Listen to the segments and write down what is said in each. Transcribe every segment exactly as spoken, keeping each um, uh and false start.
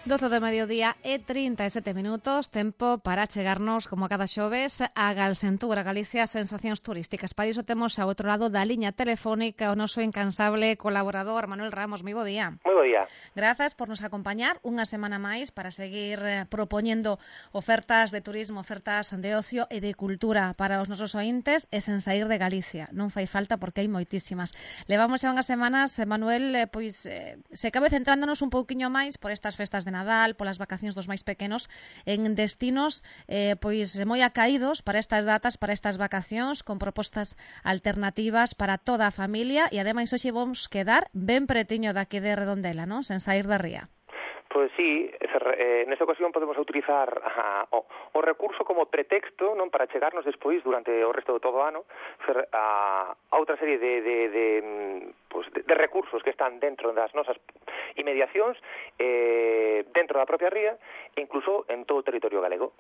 doce do mediodía e trinta e sete minutos, tempo para chegarnos, como a cada xoves, a Galsentura, Galicia, sensacións turísticas. Para iso temos ao outro lado da liña telefónica o noso incansable colaborador, Manuel Ramos. Moi bo día. Moi bo día. Grazas por nos acompañar unha semana máis para seguir eh, propoñendo ofertas de turismo, ofertas de ocio e de cultura para os nosos ointes e sen sair de Galicia. Non fai falta porque hai moitísimas. Levamos xa unhas semanas, Manuel, eh, pois eh, se cabe centrándonos un pouquiño máis por estas festas de Nadal, polas vacacións dos máis pequenos, en destinos eh, pois moi acaídos para estas datas, para estas vacacións, con propostas alternativas para toda a familia e ademais hoxe vamos quedar ben pretiño daqui de Redondela, non? Sen sair da ría. Pois sí, eh, nesta ocasión podemos utilizar a, o, o recurso como pretexto, non, para chegarnos despois durante o resto de todo o ano a, a outra serie de, de, de, pues, de, de recursos que están dentro das nosas inmediacións, eh, dentro da propia ría e incluso en todo o territorio galego.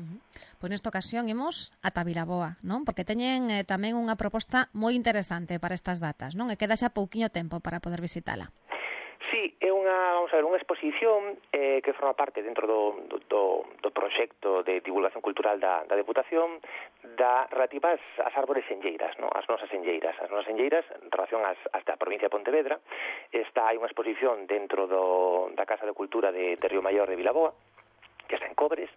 Uh-huh. Pois nesta ocasión imos ata Vilaboa, non? Porque teñen eh, tamén unha proposta moi interesante para estas datas, non? E queda xa pouquiño tempo para poder visitala. Sí, é unha, vamos a ver, unha exposición eh, que forma parte dentro do, do, do proxecto de divulgación cultural da, da Deputación da relativa ás, ás árbores enlleiras, no? As nosas enlleiras. As nosas enlleiras, en relación ás, ás da provincia de Pontevedra, está hai unha exposición dentro do, da Casa de Cultura de, de Río Maior de Vilaboa, que está en Cobres,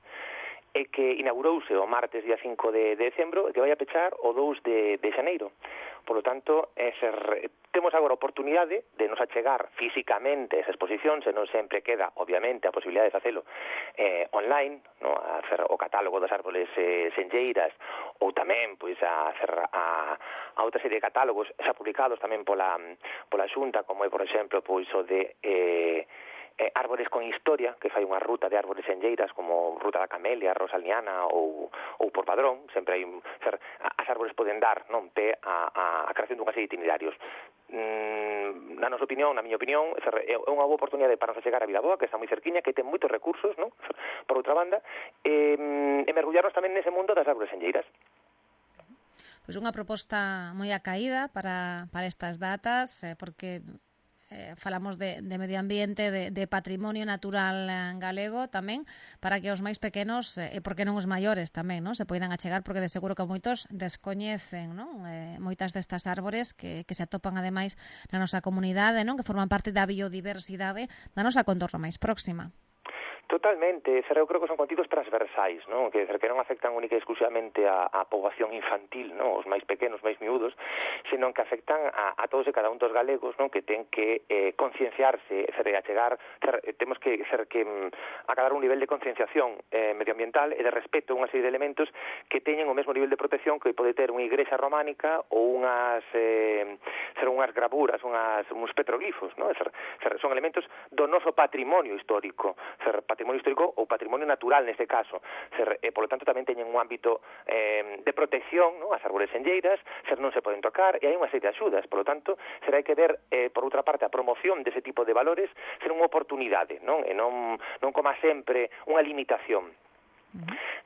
e que inaugurouse o martes día cinco de, de decembro e que vai a pechar o dous de, de xaneiro. Por lo tanto, ese, temos agora a oportunidade de nos achegar físicamente esa exposición, se non sempre queda, obviamente, a posibilidade de facelo eh, online, no? A hacer o catálogo das árboles eh, senlleiras, ou tamén pois, a hacer a, a outra serie de catálogos xa publicados tamén pola, pola Xunta, como é, por exemplo, pois o de... Eh, Eh, árbores con historia, que fai unha ruta de árbores enlleiras como Ruta da Camelia, Rosalniana ou, ou por Padrón. Sempre hai, ser, as árbores poden dar non pé a, a, a creación dunha serie de itinerarios. Mm, na nosa opinión, na miña opinión, ser, é unha boa oportunidade para nos chegar a Vilaboa, que está moi cerquiña, que ten moitos recursos, non? Por outra banda, e, e mergullarnos tamén nese mundo das árbores enlleiras. Pois unha proposta moi acaída para, para estas datas, eh, porque... Eh, falamos de, de medio ambiente, de, de patrimonio natural eh, galego tamén, para que os máis pequenos, e eh, porque non os maiores tamén, non, se poidan achegar, porque de seguro que moitos descoñecen, non, eh, moitas destas árbores que, que se atopan ademais na nosa comunidade, non, que forman parte da biodiversidade da nosa contorna máis próxima. Totalmente, eu creo que son contidos transversais, non? Que, que non afectan única e exclusivamente a, a poboación infantil, non? Os máis pequenos, máis miúdos, senón que afectan a, a todos e cada un dos galegos, non? Que ten que eh, concienciarse, ser, achegar, ser, temos que ser que mm, acadar un nivel de concienciación eh, medioambiental e de respeto a unha serie de elementos que teñen o mesmo nivel de protección que pode ter unha igrexa románica ou unhas eh, ser unhas gravuras, unhas, uns petroglifos, non? Ser, ser, son elementos do noso patrimonio histórico, ser patrimonio histórico ou patrimonio natural neste caso, ser, e polo tanto tamén teñen un ámbito eh, de protección, non? As árbores enlleiras, ser non se poden tocar e hai unha serie de axudas, polo tanto será hai que ver eh, por outra parte a promoción dese tipo de valores ser unha oportunidade, non? E non, non como sempre unha limitación.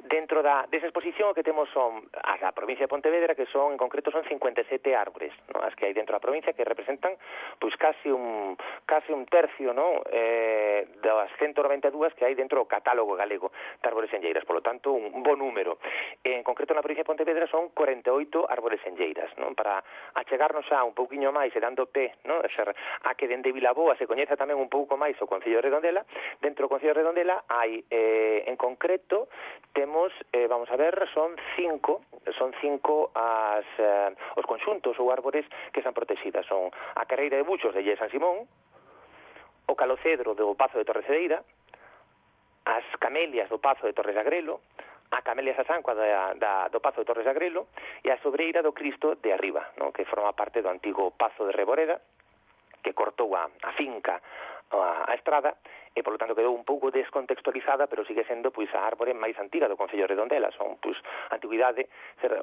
Dentro da desa exposición o que temos son as da provincia de Pontevedra, que son en concreto son cincuenta e sete árbores, ¿no? As que hai dentro da provincia, que representan pois casi un casi un tercio, ¿no? eh, das ciento noventa e dúas que hai dentro do catálogo galego de árbores enlleiras, polo tanto un bo número. En concreto na provincia de Pontevedra son cuarenta e oito árbores enlleiras, ¿no? Para achegarnos xa un pouquiño máis e dando pé, ¿no? Ser, a que dende Vilaboa se coñeza tamén un pouco máis o Concello de Redondela. Dentro do Concello de Redondela hai eh, en concreto temos, eh, vamos a ver, son cinco, son cinco as, eh, os conxuntos ou árbores que están protegidas. Son a Carreira de Buxos de Lle San Simón, o Calocedro do Pazo de Torrecedeira, as Camelias do Pazo de Torres de Agrelo, a Camelia Sasancua da, da, do Pazo de Torres de Agrelo e a Sobreira do Cristo de Arriba, no? Que forma parte do antigo Pazo de Reboreda, que cortou a, a finca, a, a estrada, e polo tanto quedou un pouco descontextualizada, pero sigue sendo pois a árbore máis antiga do Concello de Redondela. Son pois a antiguidade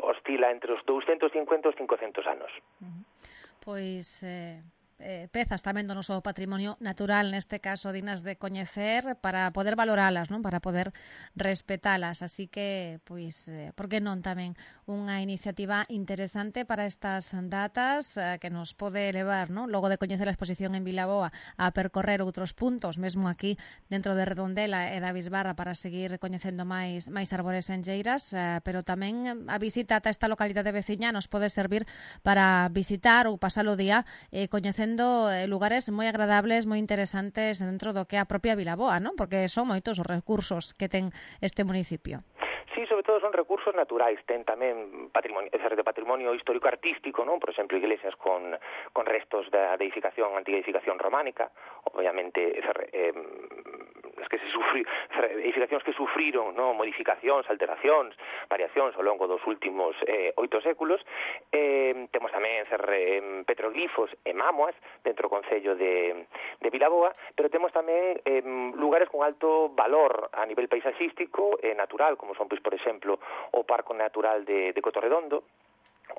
oscila entre os douscentos cincuenta e os cincocentos anos. Uh-huh. Pois eh, eh, pezas tamén do noso patrimonio natural, neste caso dignas de coñecer, para poder valoralas, non? Para poder respetalas. Así que, pois, eh, por que non tamén unha iniciativa interesante para estas datas eh, que nos pode levar, non? Logo de coñecer a exposición en Vilaboa, a percorrer outros puntos, mesmo aquí dentro de Redondela e da Bisbarra, para seguir coñecendo máis máis árbores enlleiras, eh, pero tamén a visita ata esta localidade veciña nos pode servir para visitar ou pasar o día eh, coñecendo lugares moi agradables, moi interesantes dentro do que é a propia Vilaboa, non? Porque son moitos os recursos que ten este municipio. Sí, sobre todo son recursos naturais, ten tamén patrimonio, é de patrimonio histórico artístico, non? Por exemplo, iglesias con, con restos da de edificación, antiga edificación románica, obviamente, eh, as que se sufri, edificacións que sufriron, non? Modificacións, alteracións, variacións ao longo dos últimos eh, oito séculos. Eh, temos tamén ser, eh, petroglifos e mámoas dentro do concello de, de Vilaboa, pero temos tamén eh, lugares con alto valor a nivel paisaxístico e natural, como son, pois, por exemplo, o Parco Natural de, de Cotorredondo,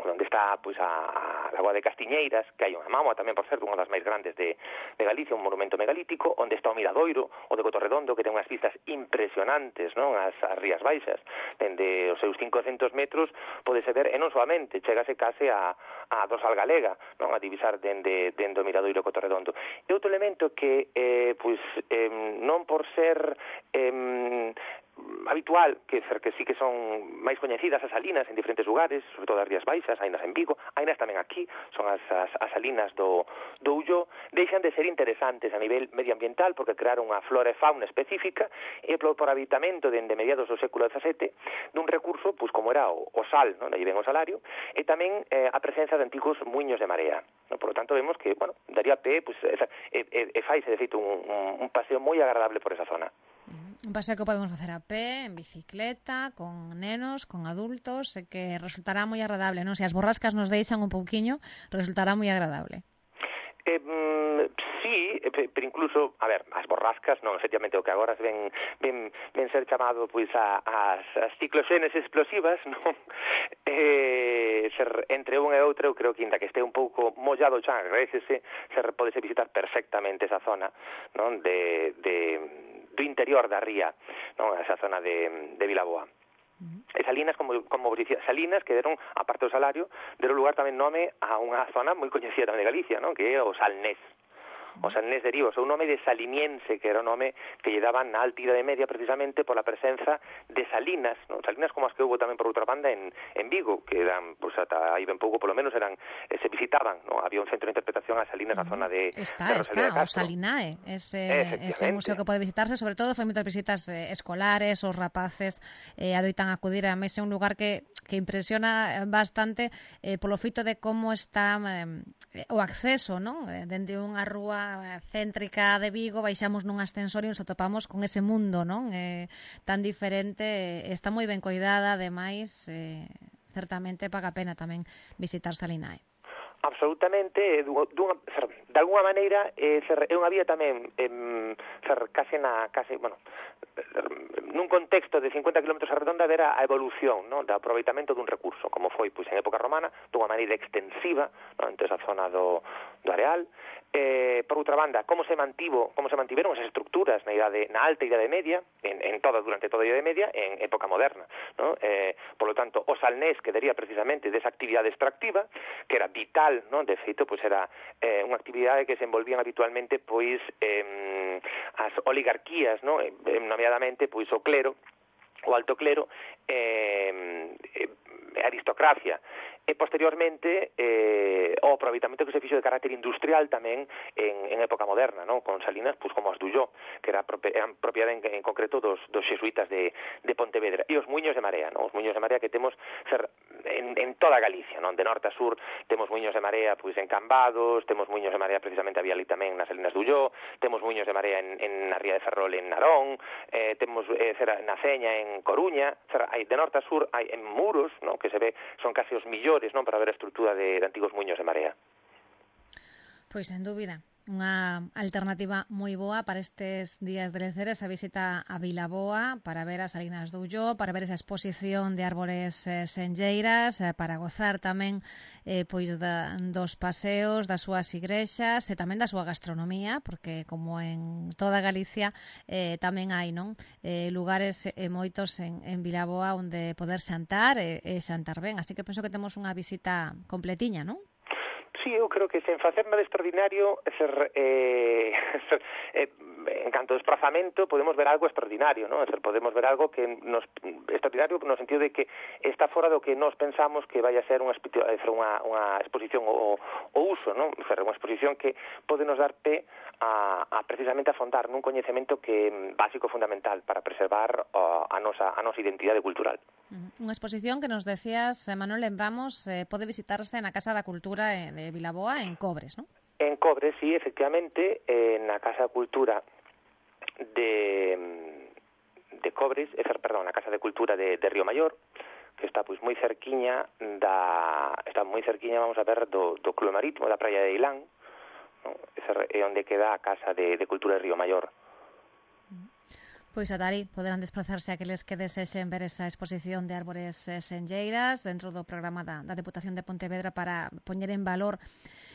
onde está, pois, a, a Lagoa de Castiñeiras, que hai unha mámoa tamén, por certo, unha das máis grandes de, de Galicia, un monumento megalítico, onde está o Miradoiro, o de Cotorredondo, que ten unhas vistas impresionantes, non? As, as Rías Baixas, dende os seus cincocentos metros, podese ver, e non solamente, chegase case a, a Dosal Galega, non? A divisar dende, dende o Miradoiro e Cotorredondo. E outro elemento que, eh, pois, eh, non por ser eh, habitual, que que sí que son máis coñecidas as salinas en diferentes lugares, sobre todo as Rías Baixas, hainas en Vigo, hainas tamén aquí, son as, as, as salinas do, do Ulló, deixan de ser interesantes a nivel medioambiental porque crearon unha flora e fauna específica e por, por habitamento dende mediados do século dezasete dun recurso, pois como era o, o sal, non? Aí ven o salario, e tamén eh, a presenza de antigos muiños de marea, non? Por lo tanto vemos que, bueno, daría pé, pois, e, e, e faise de feito un, un, un paseo moi agradable por esa zona. Un paseo que podemos facer a pé, en bicicleta, con nenos, con adultos, e que resultará moi agradable, non? Se as borrascas nos deixan un pouquiño, resultará moi agradable. Eh, mm, sí, pero incluso, a ver, as borrascas, non, efectivamente, o que agora ven, ven, ven ser chamado, pois, a, as, as cicloxenes explosivas, non? Eh, ser, entre unha e outra, eu creo que, inda que este un pouco mollado xa, agradecese, se podese visitar perfectamente esa zona, non? De, de, do interior da ría, non? Esa zona de, de Vilaboa. E Salinas, como, como vos dicía, Salinas, que deron, aparte do salario, deron lugar tamén nome a unha zona moi coñecida tamén de Galicia, non? Que é o Salnés. O Salnés deriva o seu nome de Saliniense, que era o nome que lle daban na alta Idade Media precisamente pola presenza de salinas, non? Salinas como as que houve tamén por outra banda en, en Vigo, que eran, pois, ata aí ben pouco, polo menos eran, eh, se visitaban, non? Había un centro de interpretación a Salinas na zona de, está, de Rosalía de Castro. Está, o Salinae, ese, ese museo que pode visitarse, sobre todo foi moitas visitas eh, escolares, os rapaces eh, adoitan acudir, a mí é un lugar que, que impresiona bastante eh, polo feito de como está eh, o acceso, non? Eh, dende unha rúa céntrica de Vigo, baixamos nun ascensor e nos atopamos con ese mundo, non? Eh, tan diferente, está moi ben coidada, ademais, eh, certamente paga a pena tamén visitar Salinae. Absolutamente, dunha, ser, de alguna maneira eh, ser, é unha vía tamén eh, ser, case na case, bueno, nun contexto de cincuenta kilómetros a redonda ver a evolución, non, do aproveitamento dun recurso, como foi, pois, en época romana, dunha maneira extensiva, non, entre esa zona do, do areal. Eh, por outra banda, como se mantivo, como se mantiveron esas estructuras na idade, na alta Idade Media, en, en toda durante toda a Idade Media, en época moderna, non? Eh, por lo tanto, o Salnés quedaría precisamente desa actividade extractiva, que era vital, non? De feito, pois era eh, unha actividade que se envolvían habitualmente, pois, eh, as oligarquías, non? Eh, nomeadamente, pois, o clero, o alto clero, eh, eh, aristocracia. E posteriormente eh, o aproveitamento que se fixo de carácter industrial tamén en, en época moderna, non? Con salinas, pues, como as do Ulló, que era eran propiedade en, en concreto dos, dos xesuítas de, de Pontevedra, e os muiños de marea, non? Os muiños de marea que temos ser en, en toda Galicia, non? De norte a sur temos muiños de marea, pois, en Cambados, temos muiños de marea precisamente había ali tamén nas salinas do Ulló, temos muiños de marea en, en na ría de Ferrol en Narón, eh, temos eh, ser, na Ceña en Coruña, ser, hai, de norte a sur hai en Muros, non? Que se ve, son case os millores, non, para ver a estrutura de, de antigos muiños de marea. Pois, sen dúbida. Unha alternativa moi boa para estes días de lecer, esa visita a Vilaboa para ver as Salinas do Ulló, para ver esa exposición de árbores eh, senlleiras, eh, para gozar tamén eh, pois da, dos paseos, das súas igrexas e tamén da súa gastronomía, porque como en toda Galicia eh, tamén hai non eh, lugares e eh, moitos en, en Vilaboa onde poder xantar e, e xantar ben, así que penso que temos unha visita completiña, non? Sí, eu creo que sen facer nada extraordinario, ser, eh, ser, eh, en canto ao desplazamento, podemos ver algo extraordinario, ¿no? Ser, podemos ver algo que nos extraordinario no sentido de que está fora do que nós pensamos que vai a ser unha, unha, unha exposición o, o uso, ¿no? Ser, unha exposición que pode nos dar pé a, a precisamente afondar nun coñecemento que básico fundamental para preservar a, a nosa a nosa identidade cultural. Unha exposición que nos decías, Manuel, lembramos, eh, pode visitarse na Casa da Cultura de Vilaboa en Cobres, non? En Cobres, sí, efectivamente, eh, na Casa da Cultura de, de Cobres, eh, perdón, na Casa de Cultura de, de Río Maior, que está pois moi cerquiña da está moi cerquiña, vamos a ver, do, do Club Marítimo da Praia de Ilán, ¿no? É onde queda a Casa de, de Cultura de Río Maior. Pois ata ali poderán desplazarse aqueles que desexen ver esa exposición de árbores eh, senlleiras dentro do programa da, da Deputación de Pontevedra para poñer en valor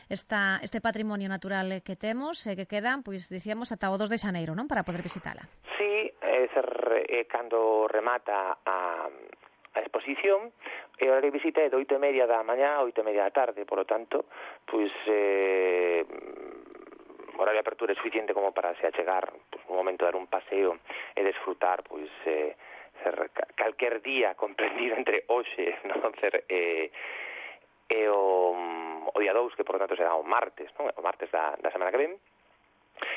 esta, este patrimonio natural que temos e eh, que quedan, pois dicíamos, ata o dos de xaneiro, non? Para poder visitala. Sí, é ser, eh, cando remata a, a exposición, e a hora de visita é de oito e media da mañá a oito e media da tarde, por lo tanto, pois... Eh, horario de apertura é suficiente como para se achegar pues, un momento, dar un paseo e desfrutar pois eh, ser, calquer día comprendido entre hoxe, non ser eh, e o, o día dous, que por tanto será o martes, non? O martes da, da semana que ven,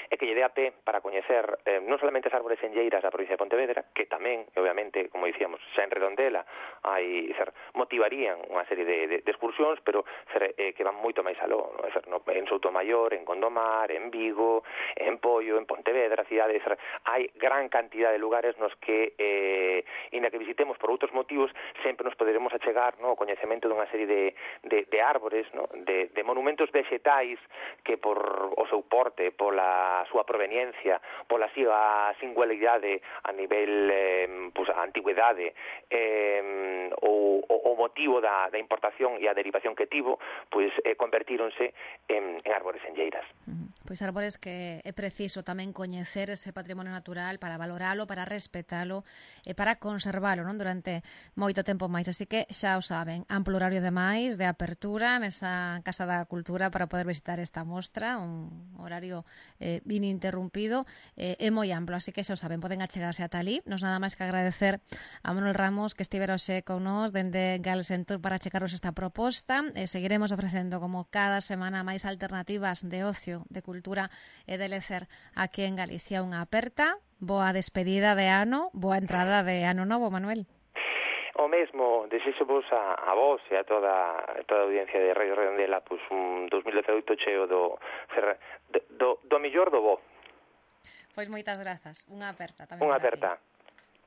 e que lle dé a pé para coñecer eh, non solamente as árbores senlleiras da provincia de Pontevedra, que tamén, obviamente, como dicíamos, xa en Redondela hai, ser, motivarían unha serie de, de, de excursións, pero ser, eh, que van moito máis aló, no? Ser, no, en Soutomaior, en Gondomar, en Vigo, en Poio, en Pontevedra, cidades, ser, hai gran cantidad de lugares nos que, eh, inda que visitemos por outros motivos, sempre nos poderemos achegar, no, o coñecemento dunha serie de, de, de árbores, no? de, de monumentos vegetais que por o seu porte, pola a súa proveniencia, pola súa singularidade a nivel eh, pues, a antigüedade eh, o, o motivo da, da importación e a derivación que tivo, pois eh, convertíronse en, en árbores senlleiras. Uh-huh. Pois árbores que é preciso tamén coñecer ese patrimonio natural para valoralo, para respetalo e para conservalo, non, durante moito tempo máis. Así que xa o saben, amplo horario de máis de apertura nesa Casa da Cultura para poder visitar esta mostra, un horario eh, ininterrumpido eh, é moi amplo, así que xa o saben, poden achegarse ata ali. Nos nada máis que agradecer a Manuel Ramos que estivera hoxe con nós dende Galsentur para checaros esta proposta e seguiremos ofrecendo como cada semana máis alternativas de ocio, de cultura e de lecer aquí en Galicia. Unha aperta, boa despedida de ano, boa entrada de ano novo, Manuel. O mesmo, desexo vos a, a vos e a toda, a toda a audiencia de Radio Redondela pues, un dos mil dezaoito cheo do, do, do mellor do bo. Pois moitas grazas, unha aperta tamén. Unha aperta.